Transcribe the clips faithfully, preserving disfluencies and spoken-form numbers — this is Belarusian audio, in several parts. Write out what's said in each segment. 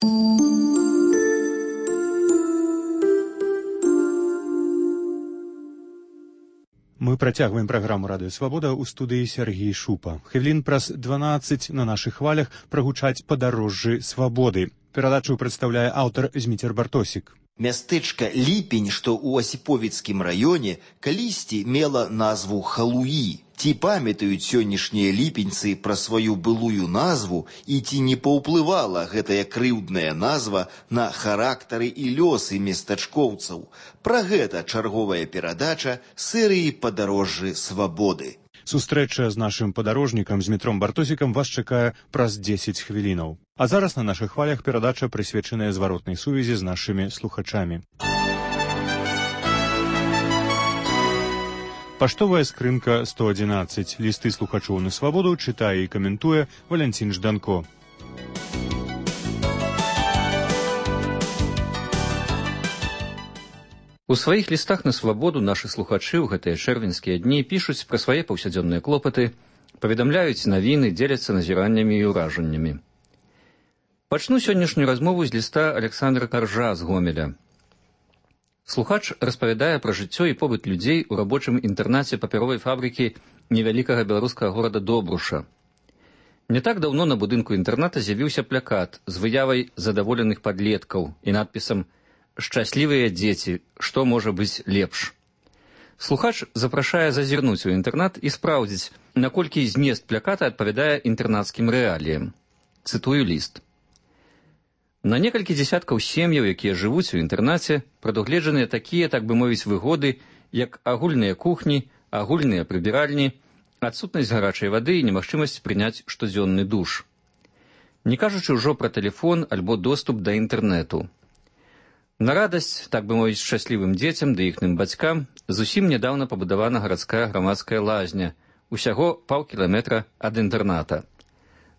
Мы працягваем праграму «Радыё Свабода» ў студыі Сергій Шупа. Хвілін праз дванаццаць на нашых хвалях прагучаць падарожжы свабоды. Перадачу прадстаўляе аўтар Зміцер Бартосік. Мястэчка Ліпень, што ў Асіповіцкім раёне, калісьці мела назву Халуі. Ці памятаюць сённяшнія ліпеньцы пра сваю былую назву і ці не паўплывала гэтая крыўдная назва на характары і лёсы местачкоўцаў? Пра гэта чарговая перадача серыі «Падарожжы свабоды». Сустрэча з нашым падарожнікам Змітром Бартосікам вас чакае праз дзесяць хвілінаў. А зараз на нашых хвалях перадача прысвечаная зваротнай сувязі з нашымі слухачамі. Паштовая скрынка сто адзінаццаць. Лісты слухачоў на свабоду чытае і каментуе Валянцін Жданко. У сваіх лістах на свабоду нашы слухачы ў гэтыя чэрвеньскія дні пішуць пра свае паўсядзённыя клопаты, паведамляюць навіны, дзеляцца назіраннямі і ўражаннямі. Пачну сённяшнюю размову з ліста Александра Каржа з Гомеля. Слухач распавядае пра жыццё і побыт людзей у рабочым інтэрнаце папяровай фабрыкі невялікага беларускага горада Добруша. Не так даўно на будынку інтэрната з'явіўся плакат з выявай задаволеных падлеткаў і надпісам «Шчаслівыя дзеці, што можа быць лепш?». Слухач запрашае зазірнуць у інтэрнат і спраўдзіць, наколькі змест плаката адпавядае інтэрнацкім рэаліям. Цытую ліст. На некалькі дзесяткаў сем'яў, якія жывуць у інтэрнаце, прадугледжаныя такія, так бы мовіць, выгоды, як агульныя кухні, агульныя прыбіральні, адсутнасць гарачай вады і немагчымасць прыняць штодзённы душ. Не кажучы ўжо пра тэлефон альбо доступ да інтэрнэту. На радасць, так бы мовіць, шчаслівым дзецям ды іхным бацькам зусім нядаўна пабудавана гарадская грамадская лазня, усяго паўкіламетра ад інтэрната.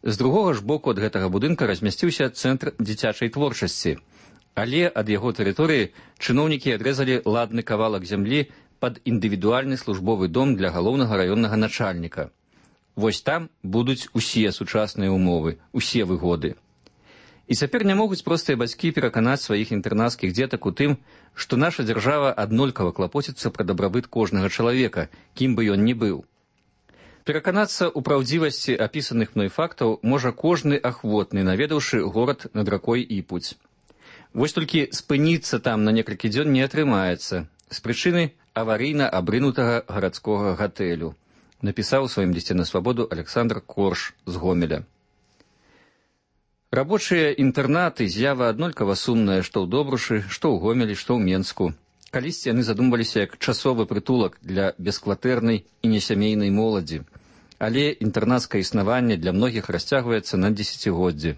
З другога ж боку ад гэтага будынка размясціўся цэнтр дзіцячай творчасці, але ад яго тэрыторыі чыноўнікі адрэзалі ладны кавалак зямлі пад індывідуальны службовы дом для галоўнага раённага начальніка. Вось там будуць усе сучасныя умовы, усе выгоды. І цяпер не могуць простыя бацькі пераканаць сваіх інтэрнацкіх дзетак у тым, што наша дзяржава аднолькава клапоціцца пра дабрабыт кожнага чалавека, кім бы ён ні быў. Пераканацца ў праўдзівасці апісаных мной фактаў можа кожны ахвотны, наведаўшы горад над ракой Іпуць. Вось толькі спыніцца там на некалькі дзён не атрымаецца з прычыны аварыйна абрынутага гарадскога гатэлю, напісаў у сваім лісце на свабоду Александр Корж з Гомеля. Рабочыя інтэрнаты з'ява аднолькава сумная што ў Добрушы, што ў Гомелі, што ў Менску. Калісьці яны задумваліся як часовы прытулак для бескватэрнай і несямейнай моладзі. Але інтэрнацкае існаванне для многіх расцягваецца на дзесяцігоддзі.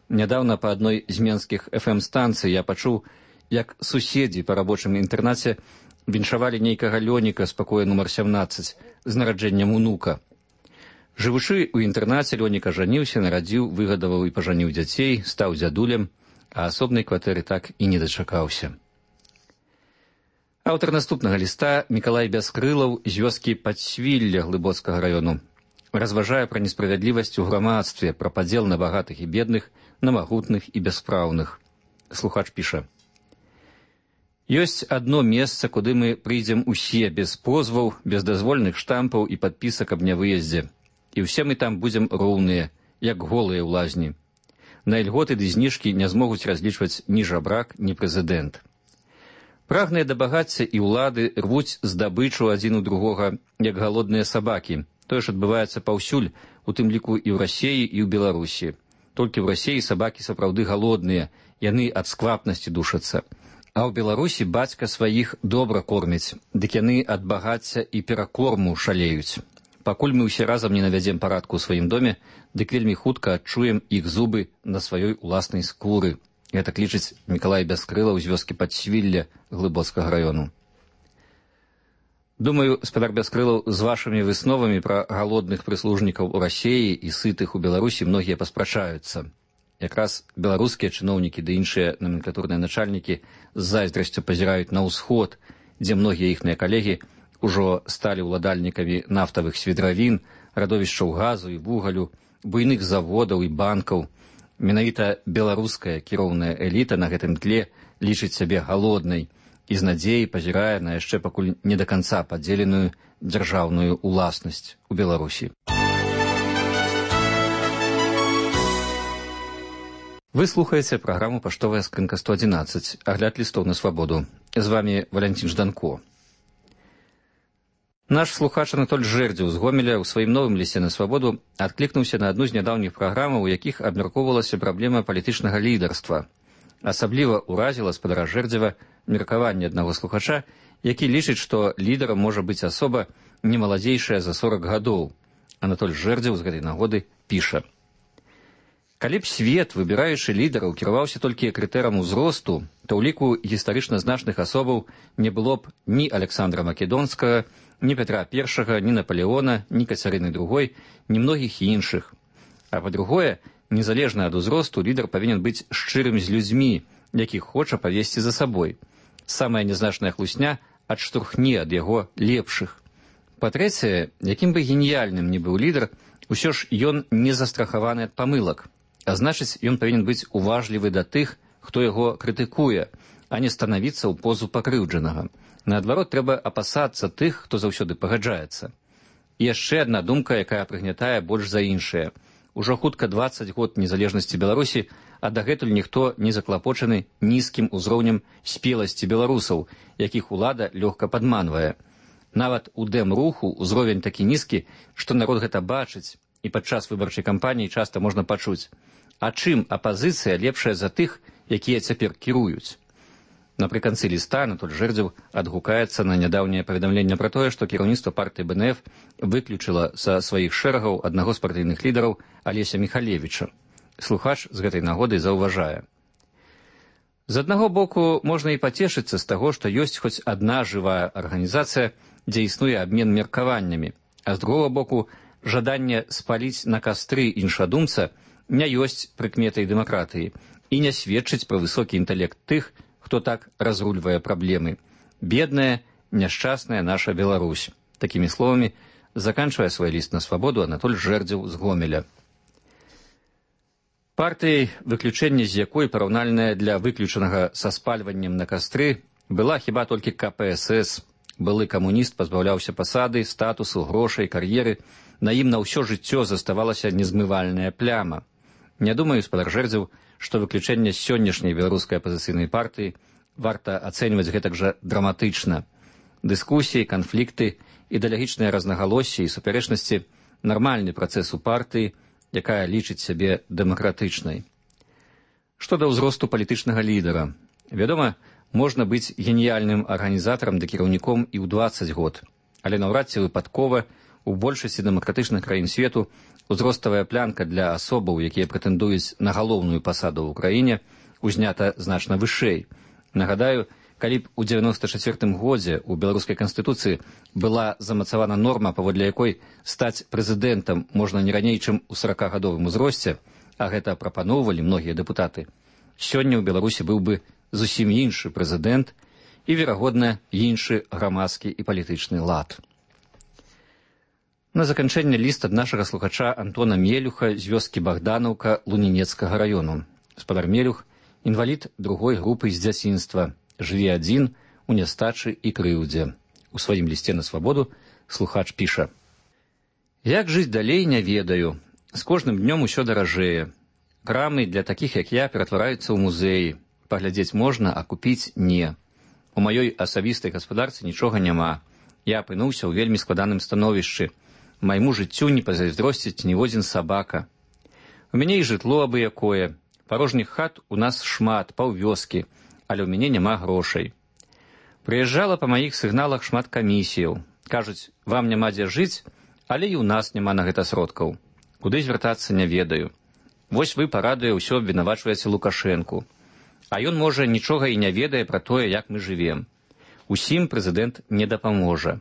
Нядаўна па адной з менскіх эф эм-станцый я пачуў, як суседзі па рабочым інтэрнаце віншавалі нейкага Лёніка з пакоя нумар сямнаццаць з нараджэннем унука. Жывучы ў інтэрнаце, Лёніка жаніўся, нарадзіў, выгадаваў і пажаніў дзяцей, стаў дзядулем, а асобнай кватэры так і не дачакаўся. Аўтар наступнага ліста Мікалай Бяскрылаў з вёскі Падсвілля Глыбоцкага раёну разважае пра несправядлівасць у грамадстве, пра падзел на багатых і бедных, на магутных і бяспраўных. Слухач піша. Ёсць адно месца, куды мы прыйдзем усе без позваў, без дазвольных штампаў і падпісак аб нявыездзе. І ўсе мы там будзем роўныя, як голыя ў лазні. На ільготы ды зніжкі не змогуць разлічваць ні жабрак, ні прэзідэнт. Прагныя да багацця і ўлады рвуць здабычу адзін у другога, як галодныя сабакі. Тое ж адбываецца паўсюль, у тым ліку і ў Расіі, і ў Беларусі. Толькі ў Расіі сабакі сапраўды галодныя, яны ад сквапнасці душацца. А ў Беларусі бацька сваіх добра корміць, дык яны ад багацця і перакорму шалеюць. Пакуль мы ўсе разам не навядзем парадку ў сваім доме, дык вельмі хутка адчуем іх зубы на сваёй уласнай скуры. Гэта лічыць Мікалай Бяскрылаў з вёскі Падсвілля Глыбоцкага раёну. Думаю, спадар Бяскрылаў, з вашымі высновамі пра галодных прыслужнікаў у Расіі і сытых у Беларусі многія паспрачаюцца. Якраз беларускія чыноўнікі ды іншыя номенклатурныя начальнікі з зайздрасцю пазіраюць на ўсход, дзе многія іхныя калегі ўжо сталі ўладальнікамі нафтавых свідравін, радовішчаў газу і вугалю, буйных заводаў і банкаў. Менавіта беларуская кіроўная эліта на гэтым тле лічыць сябе галоднай і з надзеяй пазірае на яшчэ пакуль не да канца падзеленую дзяржаўную уласнасць у Беларусі. Вы слухаеце праграму «Паштовая скрынка сто адзінаццаць», агляд лістоў на свабоду. З вами Валянцін Жданко. Наш слухач Анатоль Жэрдзеў з Гомеля ў сваім новым лісце на свабоду адклікнуўся на адну з нядаўніх праграмаў, у якіх абмяркоўвалася праблема палітычнага лідарства. Асабліва ўразіла спадара Жэрдзева меркаванне аднаго слухача, які лічыць, што лідарам можа быць асоба не маладзейшая за сорак гадоў. Анатоль Жэрдзеў з гэтай нагоды піша: «Калі б свет, выбіраючы лідараў, кіраваўся толькі крытэрам узросту, то ў ліку гістарычна значных асобаў не было б ні Александра Македонскага, ні Петра Першага, ні Наполеона, ні Кацярыны Другой, ні многіх іншых. А па-другое, незалежна ад узросту, лідар павінен быць шчырым з людзьмі, якіх хоча павесці за сабой. Самая нязначная хлусня адштурхне ад яго лепшых. Па-трэцяе, якім бы геніяльным ні быў лідар, усё ж ён не застрахаваны ад памылак. А значыць, ён павінен быць уважлівы да тых, хто яго крытыкуе, а не станавіцца ў позу пакрыўджанага. Наадварот, трэба апасацца тых, хто заўсёды пагаджаецца. І яшчэ адна думка, якая прыгнятае больш за іншае. Ужо хутка дваццаць год незалежнасці Беларусі, а дагэтуль ніхто не заклапочаны нізкім узроўнем спеласці беларусаў, якіх улада лёгка падманвае. Нават у дэм-руху ўзровень такі нізкі, што народ гэта бачыць, і падчас выбарчай кампаніі часта можна пачуць: а чым апазіцыя лепшая за тых, якія цяпер кіруюць? Напрыканцы ліста Анатоль Жэрдзеў адгукаецца на нядаўняе паведамленне пра тое, што кіраўніцтва партыі бэ эн эф выключыла са сваіх шэрагаў аднаго з партыйных лідараў Алеся Міхалевіча. Слухач з гэтай нагоды заўважае: з аднаго боку, можна і пацешыцца з таго, што ёсць хоць адна жывая арганізацыя, дзе існуе абмен меркаваннямі, а з другога боку, жаданне спаліць на кастры іншадумца не ёсць прыкметай дэмакратыі і не сведчыць пра высокі інтэлект тых, хто так разрульвае праблемы. Бедная, няшчасная наша Беларусь. Такімі словамі заканчвае свой ліст на свабоду Анатоль Жэрдзеў з Гомеля. Партыяй, выключэнне з якой параўнальная для выключанага са спальваннем на кастры, была хіба толькі ка пэ эс эс. Былы камуніст пазбаўляўся пасады, статусу, грошай, кар'еры. На ім на ўсё жыццё заставалася незмывальная пляма. Не думаю, спадар Жэрдзеў, што выключэнне з сённяшняй беларускай апазіцыйнай партыі варта ацэньваць гэтак жа драматычна. Дыскусіі, канфлікты, ідэалагічныя разнагалоссі і супярэчнасці – нармальны працэс у партыі, якая лічыць сябе дэмакратычнай. Што да ўзросту палітычнага лідара? Вядома, можна быць геніяльным арганізатарам ды кіраўніком і ў дваццаць год, але наўрад ці выпадкова у большасці дэмакратычных краін свету узроставая планка для асобаў, якія прэтэндуюць на галоўную пасаду ў краіне, узнята значна вышэй. Нагадаю, калі б у дзевяноста чацвёртым годзе ў беларускай канстытуцыі была замацавана норма, паводле якой стаць прэзідэнтам можна не раней, чым у саракагадовым узросце, а гэта прапаноўвалі многія дэпутаты, сёння ў Беларусі быў бы зусім іншы прэзідэнт і, верагодна, іншы грамадскі і палітычны лад. На заканчэнне ліст ад нашага слухача Антона Мелюха з вёскі Богданаўка Лунінецкага раёну. Спадар Мелюх – інвалід другой групы з дзяцінства, жыве адзін у нястачы і крыўдзе. У сваім лісце на свабоду слухач піша: «Як жыць далей, не ведаю. З кожным днём усё даражэе. Крамы для такіх, як я, ператвараюцца ў музеі. Паглядзець можна, а купіць не. У маёй асабістай гаспадарцы нічога няма. Я апынуўся ў вельмі складаным становішчы. Майму жыццю не пазайздросціць ніводзін сабака. У мяне і жытло абы-якое. Парожніх хат у нас шмат, паўвёскі, але ў мяне няма грошай. Прыязджала па маіх сігналах шмат камісіяў. Кажуць, вам няма дзе жыць, але і ў нас няма на гэта сродкаў. Куды звяртацца, не ведаю. Вось вы, парадуе, ўсё абвінавачваеце Лукашэнку. А ён, можа, нічога і не ведае пра тое, як мы жывем. Усім прэзідэнт не дапаможа.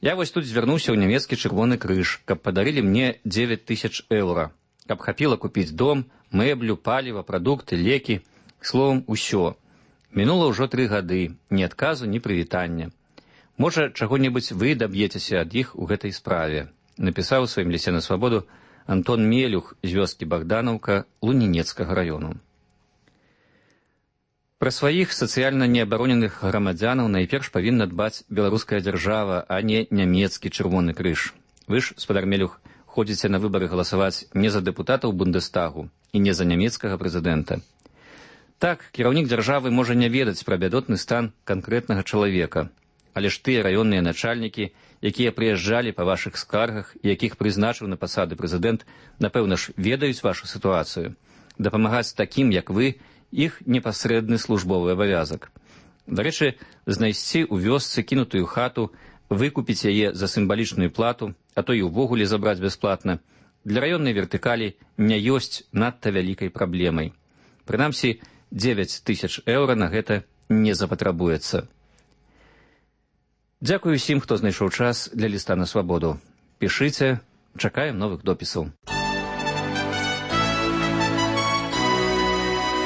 Я вось тут звярнуўся ў нямецкі чырвоны крыж, каб падарылі мне дзевяць тысяч еўра, каб хапіла купіць дом, мэблю, паліва, прадукты, лекі, словам, усё. Мінула ўжо тры гады, ні адказу, ні прывітання. Можа, чаго-небудзь вы даб'ецеся ад іх у гэтай справе», напісаў у сваім лісце на свабоду Антон Мелюх з вёскі Богданаўка Лунінецкага раёну. Пра сваіх сацыяльна неабароненых грамадзянаў найперш павінна дбаць беларуская дзяржава, а не нямецкі чырвоны крыж. Вы ж, спадар Мелюх, ходзіце на выбары галасаваць не за дэпутатаў Бундестагу і не за нямецкага прэзідэнта. Так, кіраўнік дзяржавы можа не ведаць пра бядотны стан канкрэтнага чалавека, але ж тыя раённыя начальнікі, якія прыязджалі па вашых скаргах і якіх прызначыў на пасады прэзідэнт, напэўна ж, ведаюць вашу сітуацыю. Дапамагаць такім, як вы, іх непасрэдны службовы абавязак. Дарэчы, знайсці ў вёсцы кінутую хату, выкупіць яе за сімвалічную плату, а то і ўвогуле забраць бясплатна, для раённай вертыкалі не ёсць надта вялікай праблемай. Прынамсі, дзевяць тысяч еўра на гэта не запатрабуецца. Дзякую усім, хто знайшоў час для ліста на свабоду. Пішыце, чакаем новых допісаў.